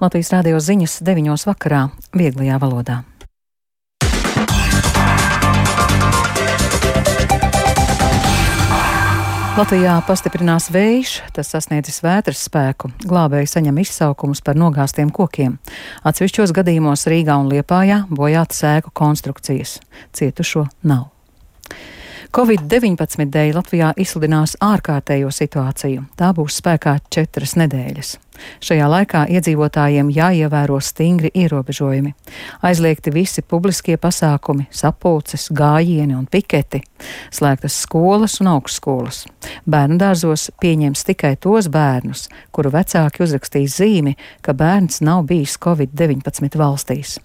Latvijas Rādio ziņas 9:00 vakarā vieglajā valodā. Latvijā pastiprinās vējš, tas sasniedzis vētras spēku. Glābēji saņem izsaukumus par nogāztiem kokiem. Atsevišķos gadījumos Rīgā un Liepājā bojātas ēku konstrukcijas. Cietušo nav. Covid-19 dēļ Latvijā izsludinās ārkārtējo situāciju. Tā būs spēkā 4 nedēļas. Šajā laikā iedzīvotājiem jāievēro stingri ierobežojumi. Aizliegti visi publiskie pasākumi, sapulces, gājieni un piketi. Slēgtas skolas un augstskolas. Bērnu dārzos pieņems tikai tos bērnus, kuru vecāki uzrakstīs zīmi, ka bērns nav bijis Covid-19 valstīs.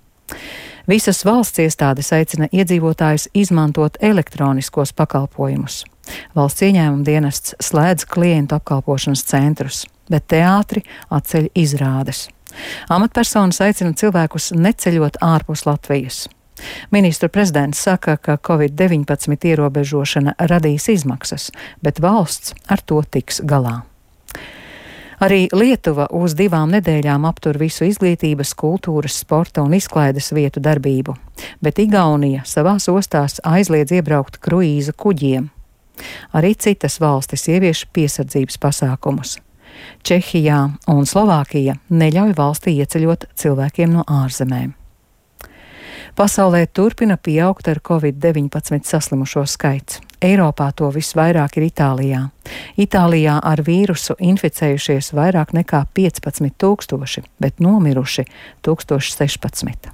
Visas valsts iestādes aicina iedzīvotājus izmantot elektroniskos pakalpojumus. Valsts ieņēmuma dienests slēdz klientu apkalpošanas centrus, bet teātri atceļ izrādes. Amatpersonas aicina cilvēkus neceļot ārpus Latvijas. Ministru prezidents saka, ka Covid-19 ierobežošana radīs izmaksas, bet valsts ar to tiks galā. Arī Lietuva uz 2 nedēļām aptur visu izglītības, kultūras, sporta un izklaides vietu darbību, bet Igaunija savās ostās aizliedz iebraukt kruīza kuģiem. Arī citas valstis ievieš piesardzības pasākumus. Čehijā un Slovākija neļauj valstī ieceļot cilvēkiem no ārzemēm. Pasaulē turpina pieaugt ar Covid-19 saslimušo skaits. Eiropā to visvairāk ir Itālijā. Itālijā ar vīrusu inficējušies vairāk nekā 15 000, bet nomiruši 1016.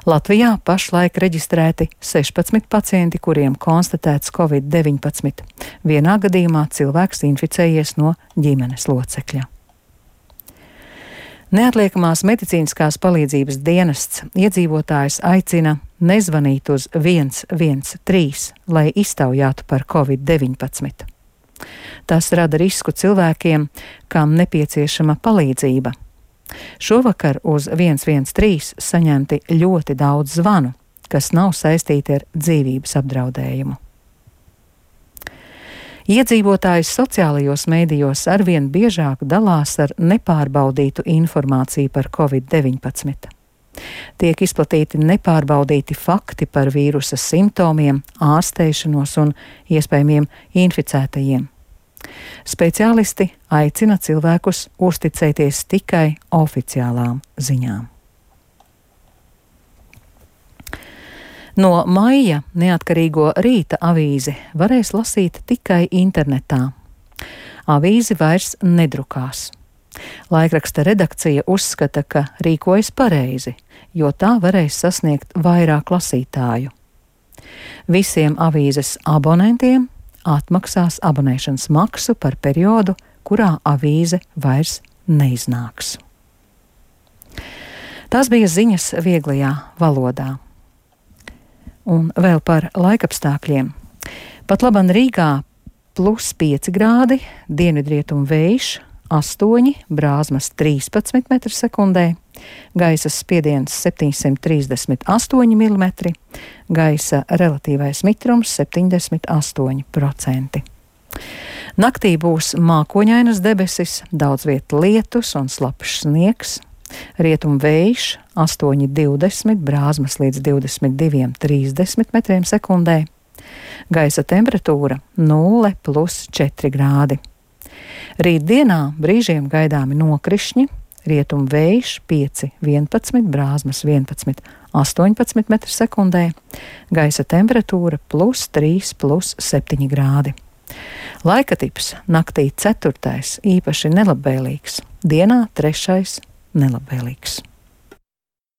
Latvijā pašlaik reģistrēti 16 pacienti, kuriem konstatēts Covid-19. Vienā gadījumā cilvēks inficējies no ģimenes locekļa. Neatliekamās medicīniskās palīdzības dienests iedzīvotājus aicina nezvanīt uz 113, lai iztaujātu par Covid-19. Tas rada risku cilvēkiem, kam nepieciešama palīdzība. Šovakar uz 113 saņemti ļoti daudz zvanu, kas nav saistīti ar dzīvības apdraudējumu. Iedzīvotājs sociālajos mēdījos arvien biežāk dalās ar nepārbaudītu informāciju par Covid-19. Tiek izplatīti nepārbaudīti fakti par vīrusa simptomiem, ārstēšanos un iespējamiem inficētajiem. Speciālisti aicina cilvēkus uzticēties tikai oficiālām ziņām. No maija neatkarīgo Rīta avīzi varēs lasīt tikai internetā. Avīzi vairs nedrukās. Laikraksta redakcija uzskata, ka rīkojas pareizi, jo tā varēs sasniegt vairāk lasītāju. Visiem avīzes abonentiem atmaksās abonēšanas maksu par periodu, kurā avīze vairs neiznāks. Tās bija ziņas vieglajā valodā. Un vēl par laikapstākļiem. Pat laban Rīgā +5 grādi, dienvidrietumu vējš 8, brāzmas 13 m/sekundē, gaisa spiediens 738 mm, gaisa relatīvais mitrums 78%. Naktī būs mākoņainas debesis, daudz viet lietus un slapjš sniegs. Rietumu vējš 8,20, brāzmas līdz 22,30 m/sekundē. Gaisa temperatūra 0 + 4 grādi. Rītdienā brīžiem gaidāmi nokrišņi, rietumu vējš 5,11, brāzmas 11,18 m/sekundē. Gaisa temperatūra +3 + 7 grādi. Laika tips naktī 4. īpaši nelabvēlīgs, dienā 3. nelabvēlīgs.